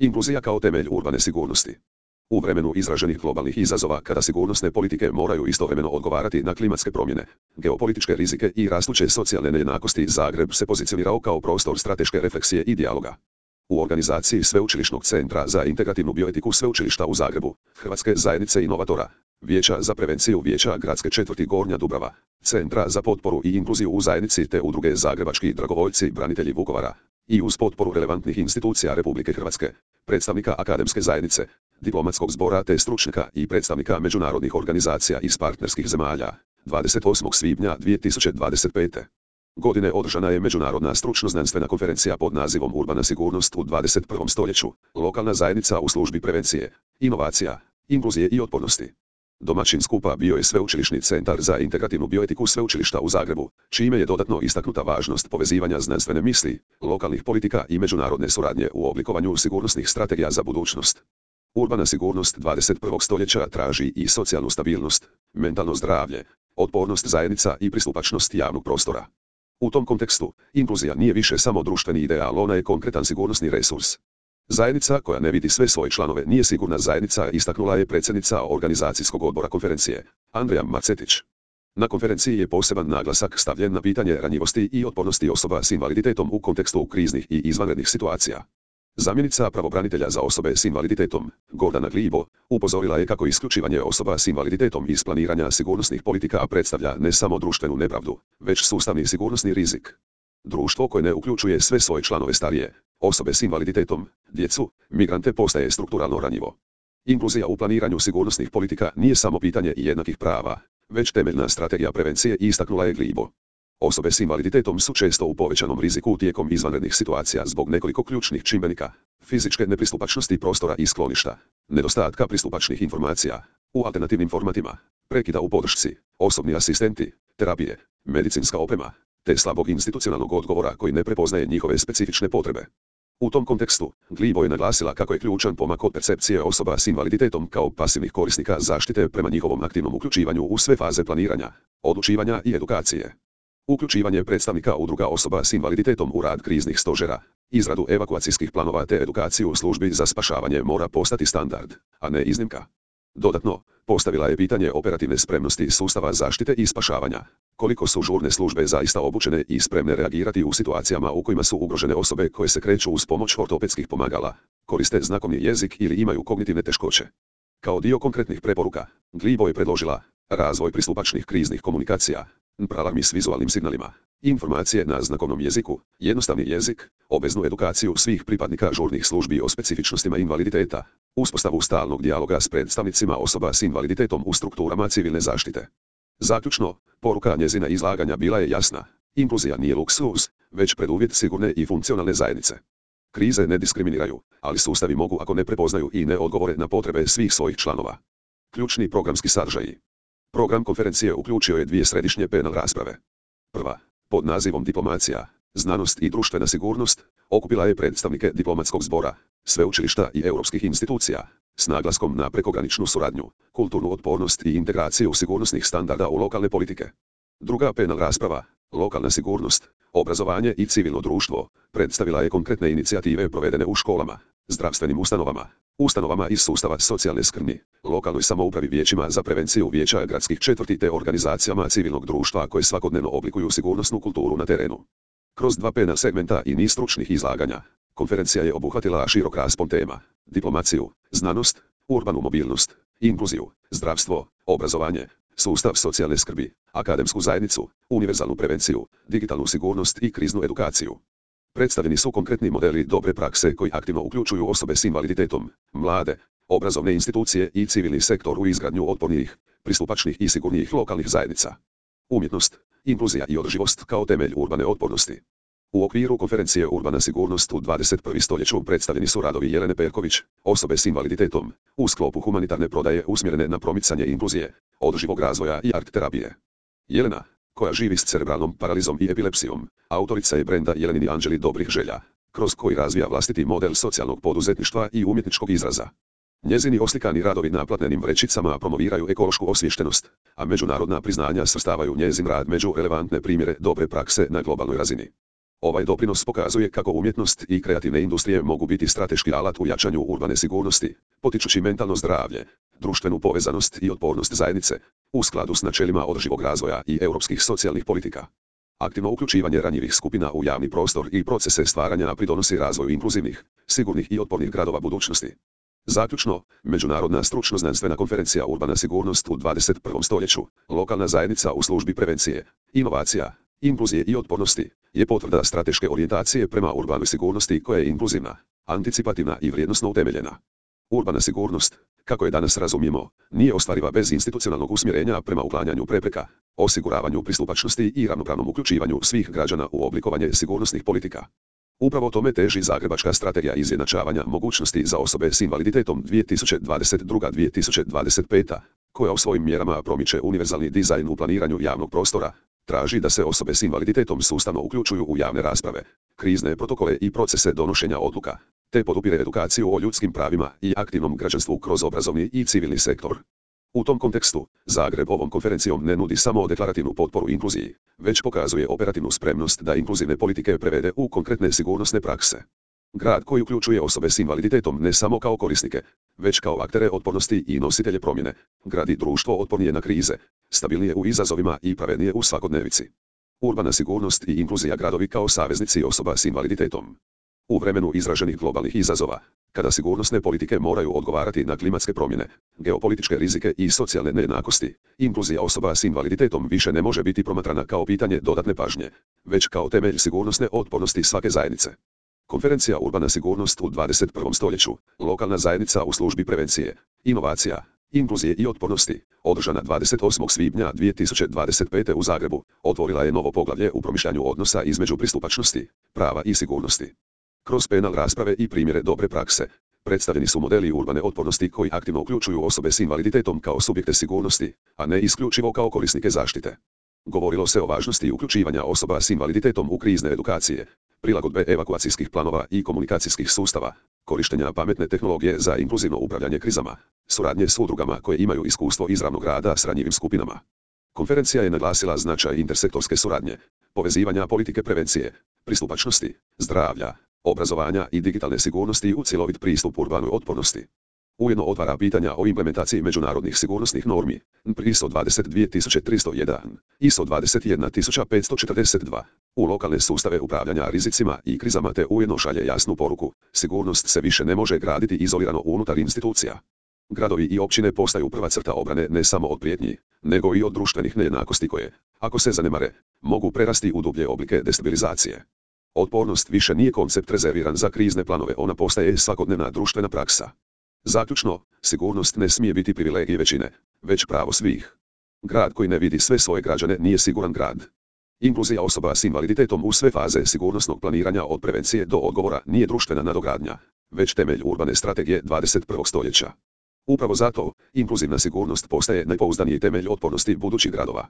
Inkluzija kao temelj urbane sigurnosti. U vremenu izraženih globalnih izazova kada sigurnosne politike moraju istovremeno odgovarati na klimatske promjene, geopolitičke rizike i rastuće socijalne nejednakosti, Zagreb se pozicionirao kao prostor strateške refleksije i dijaloga. U organizaciji Sveučilišnog centra za integrativnu bioetiku Sveučilišta u Zagrebu, Hrvatske zajednice inovatora, Vijeća za prevenciju Vijeća gradske četvrti Gornja Dubrava, Centra za potporu i inkluziju u zajednici te udruge Zagrebački dragovoljci branitelji Vukovara, i uz potporu relevantnih institucija Republike Hrvatske, predstavnika akademske zajednice, diplomatskog zbora te stručnjaka i predstavnika međunarodnih organizacija iz partnerskih zemalja, 28. svibnja 2025. godine održana je međunarodna stručno-znanstvena konferencija pod nazivom Urbana sigurnost u 21. stoljeću, lokalna zajednica u službi prevencije, inovacija, inkluzije i otpornosti. Domaćin skupa bio je Sveučilišni centar za integrativnu bioetiku Sveučilišta u Zagrebu, čime je dodatno istaknuta važnost povezivanja znanstvene misli, lokalnih politika i međunarodne suradnje u oblikovanju sigurnosnih strategija za budućnost. Urbana sigurnost 21. stoljeća traži i socijalnu stabilnost, mentalno zdravlje, otpornost zajednica i pristupačnost javnog prostora. U tom kontekstu, inkluzija nije više samo društveni ideal, ona je konkretan sigurnosni resurs. Zajednica koja ne vidi sve svoje članove nije sigurna zajednica, istaknula je predsjednica organizacijskog odbora konferencije, Andreja Marcetić. Na konferenciji je poseban naglasak stavljen na pitanje ranjivosti i otpornosti osoba s invaliditetom u kontekstu kriznih i izvanrednih situacija. Zamjenica pravobranitelja za osobe s invaliditetom, Gordana Glibo, upozorila je kako isključivanje osoba s invaliditetom iz planiranja sigurnosnih politika predstavlja ne samo društvenu nepravdu, već sustavni sigurnosni rizik. Društvo koje ne uključuje sve svoje članove starije, osobe s invaliditetom, djecu, migrante postaje strukturalno ranjivo. Inkluzija u planiranju sigurnosnih politika nije samo pitanje jednakih prava, već temeljna strategija prevencije, istaknula je Glibo. Osobe s invaliditetom su često u povećanom riziku tijekom izvanrednih situacija zbog nekoliko ključnih čimbenika: fizičke nepristupačnosti prostora i skloništa, nedostatka pristupačnih informacija u alternativnim formatima, prekida u podršci, osobni asistenti, terapije, medicinska oprema, te slabog institucionalnog odgovora koji ne prepoznaje njihove specifične potrebe. U tom kontekstu, Glibo je naglasila kako je ključan pomak od percepcije osoba s invaliditetom kao pasivnih korisnika zaštite prema njihovom aktivnom uključivanju u sve faze planiranja, odlučivanja i edukacije. Uključivanje predstavnika udruga osoba s invaliditetom u rad kriznih stožera, izradu evakuacijskih planova te edukaciju u službi za spašavanje mora postati standard, a ne iznimka. Dodatno, postavila je pitanje operativne spremnosti sustava zaštite i spašavanja. Koliko su žurne službe zaista obučene i spremne reagirati u situacijama u kojima su ugrožene osobe koje se kreću uz pomoć ortopedskih pomagala, koriste znakovni jezik ili imaju kognitivne teškoće. Kao dio konkretnih preporuka, Glibo je predložila razvoj pristupačnih kriznih komunikacija, alarmi s vizualnim signalima, informacije na znakovnom jeziku, jednostavni jezik, obveznu edukaciju svih pripadnika žurnih službi o specifičnostima invaliditeta, uspostavu stalnog dijaloga s predstavnicima osoba s invaliditetom u strukturama civilne zaštite. Zaključno, poruka njezina izlaganja bila je jasna: inkluzija nije luksuz, već preduvjet sigurne i funkcionalne zajednice. Krize ne diskriminiraju, ali sustavi mogu ako ne prepoznaju i ne odgovore na potrebe svih svojih članova. Ključni programski sadržaji. Program konferencije uključio je 2 središnje panel rasprave. Prva, pod nazivom Diplomacija, znanost i društvena sigurnost, okupila je predstavnike diplomatskog zbora, sveučilišta i europskih institucija, s naglaskom na prekograničnu suradnju, kulturnu otpornost i integraciju sigurnosnih standarda u lokalne politike. Druga panel rasprava, lokalna sigurnost, obrazovanje i civilno društvo, predstavila je konkretne inicijative provedene u školama, zdravstvenim ustanovama iz sustava socijalne skrbi, lokalnoj samoupravi, vijećima za prevenciju Vijeća gradskih četvrti te organizacijama civilnog društva koje svakodnevno oblikuju sigurnosnu kulturu na terenu. Kroz 2 panel segmenta i niz stručnih izlaganja, konferencija je obuhvatila širok raspon tema: diplomaciju, znanost, urbanu mobilnost, inkluziju, zdravstvo, obrazovanje, sustav socijalne skrbi, akademsku zajednicu, univerzalnu prevenciju, digitalnu sigurnost i kriznu edukaciju. Predstavljeni su konkretni modeli dobre prakse koji aktivno uključuju osobe s invaliditetom, mlade, obrazovne institucije i civilni sektor u izgradnju otpornijih, pristupačnih i sigurnijih lokalnih zajednica. Umjetnost, inkluzija i održivost kao temelj urbane otpornosti. U okviru konferencije Urbana sigurnost u 21. stoljeću predstavljeni su radovi Jelene Perković, osobe s invaliditetom, u sklopu humanitarne prodaje usmjerene na promicanje inkluzije, održivog razvoja i art terapije. Jelena, koja živi s cerebralnom paralizom i epilepsijom, autorica je brenda Jelenini Anđeli dobrih želja, kroz koji razvija vlastiti model socijalnog poduzetništva i umjetničkog izraza. Njezini oslikani radovi na platnenim vrećicama promoviraju ekološku osviještenost, a međunarodna priznanja svrstavaju njezin rad među relevantne primjere dobre prakse na globalnoj razini. Ovaj doprinos pokazuje kako umjetnost i kreativne industrije mogu biti strateški alat u jačanju urbane sigurnosti, potičući mentalno zdravlje, društvenu povezanost i otpornost zajednice, u skladu s načelima održivog razvoja i europskih socijalnih politika. Aktivno uključivanje ranjivih skupina u javni prostor i procese stvaranja pridonosi razvoju inkluzivnih, sigurnih i otpornih gradova budućnosti. Zaključno, Međunarodna stručno-znanstvena konferencija Urbana sigurnost u 21. stoljeću, lokalna zajednica u službi prevencije, inovacija, inkluzije i otpornosti, je potvrda strateške orijentacije prema urbanoj sigurnosti koja je inkluzivna, anticipativna i vrijednosno utemeljena. Urbana sigurnost, kako je danas razumijemo, nije ostvariva bez institucionalnog usmjerenja prema uklanjanju prepreka, osiguravanju pristupačnosti i ravnopravnom uključivanju svih građana u oblikovanje sigurnosnih politika. Upravo tome teži Zagrebačka strategija izjednačavanja mogućnosti za osobe s invaliditetom 2022-2025, koja u svojim mjerama promiče univerzalni dizajn u planiranju javnog prostora, traži da se osobe s invaliditetom sustavno uključuju u javne rasprave, krizne protokole i procese donošenja odluka, te podupire edukaciju o ljudskim pravima i aktivnom građanstvu kroz obrazovni i civilni sektor. U tom kontekstu, Zagreb ovom konferencijom ne nudi samo deklarativnu potporu inkluziji, već pokazuje operativnu spremnost da inkluzivne politike prevede u konkretne sigurnosne prakse. Grad koji uključuje osobe s invaliditetom ne samo kao korisnike, već kao aktere otpornosti i nositelje promjene, gradi društvo otpornije na krize, stabilnije u izazovima i pravednije u svakodnevici. Urbana sigurnost i inkluzija gradovi kao saveznici osoba s invaliditetom. U vremenu izraženih globalnih izazova, kada sigurnosne politike moraju odgovarati na klimatske promjene, geopolitičke rizike i socijalne nejednakosti, inkluzija osoba s invaliditetom više ne može biti promatrana kao pitanje dodatne pažnje, već kao temelj sigurnosne otpornosti svake zajednice. Konferencija Urbana sigurnost u 21. stoljeću, lokalna zajednica u službi prevencije, inovacija, inkluzije i otpornosti, održana 28. svibnja 2025. u Zagrebu, otvorila je novo poglavlje u promišljanju odnosa između pristupačnosti, prava i sigurnosti. Kroz panel rasprave i primjere dobre prakse, predstavljeni su modeli urbane otpornosti koji aktivno uključuju osobe s invaliditetom kao subjekte sigurnosti, a ne isključivo kao korisnike zaštite. Govorilo se o važnosti uključivanja osoba s invaliditetom u krizne edukacije, prilagodbe evakuacijskih planova i komunikacijskih sustava, korištenja pametne tehnologije za inkluzivno upravljanje krizama, suradnje s udrugama koje imaju iskustvo izravnog rada s ranjivim skupinama. Konferencija je naglasila značaj intersektorske suradnje, povezivanja politike prevencije, pristupačnosti, zdravlja, obrazovanja i digitalne sigurnosti u cjelovit pristup urbanoj otpornosti. Ujedno otvara pitanja o implementaciji međunarodnih sigurnosnih normi, ISO 22301, ISO 21542, u lokalne sustave upravljanja rizicima i krizama te ujedno šalje jasnu poruku, sigurnost se više ne može graditi izolirano unutar institucija. Gradovi i općine postaju prva crta obrane ne samo od prijetnji, nego i od društvenih nejednakosti koje, ako se zanemare, mogu prerasti u dublje oblike destabilizacije. Otpornost više nije koncept rezerviran za krizne planove, ona postaje svakodnevna društvena praksa. Zaključno, sigurnost ne smije biti privilegij većine, već pravo svih. Grad koji ne vidi sve svoje građane nije siguran grad. Inkluzija osoba s invaliditetom u sve faze sigurnosnog planiranja od prevencije do odgovora nije društvena nadogradnja, već temelj urbane strategije 21. stoljeća. Upravo zato, inkluzivna sigurnost postaje najpouzdaniji temelj otpornosti budućih gradova.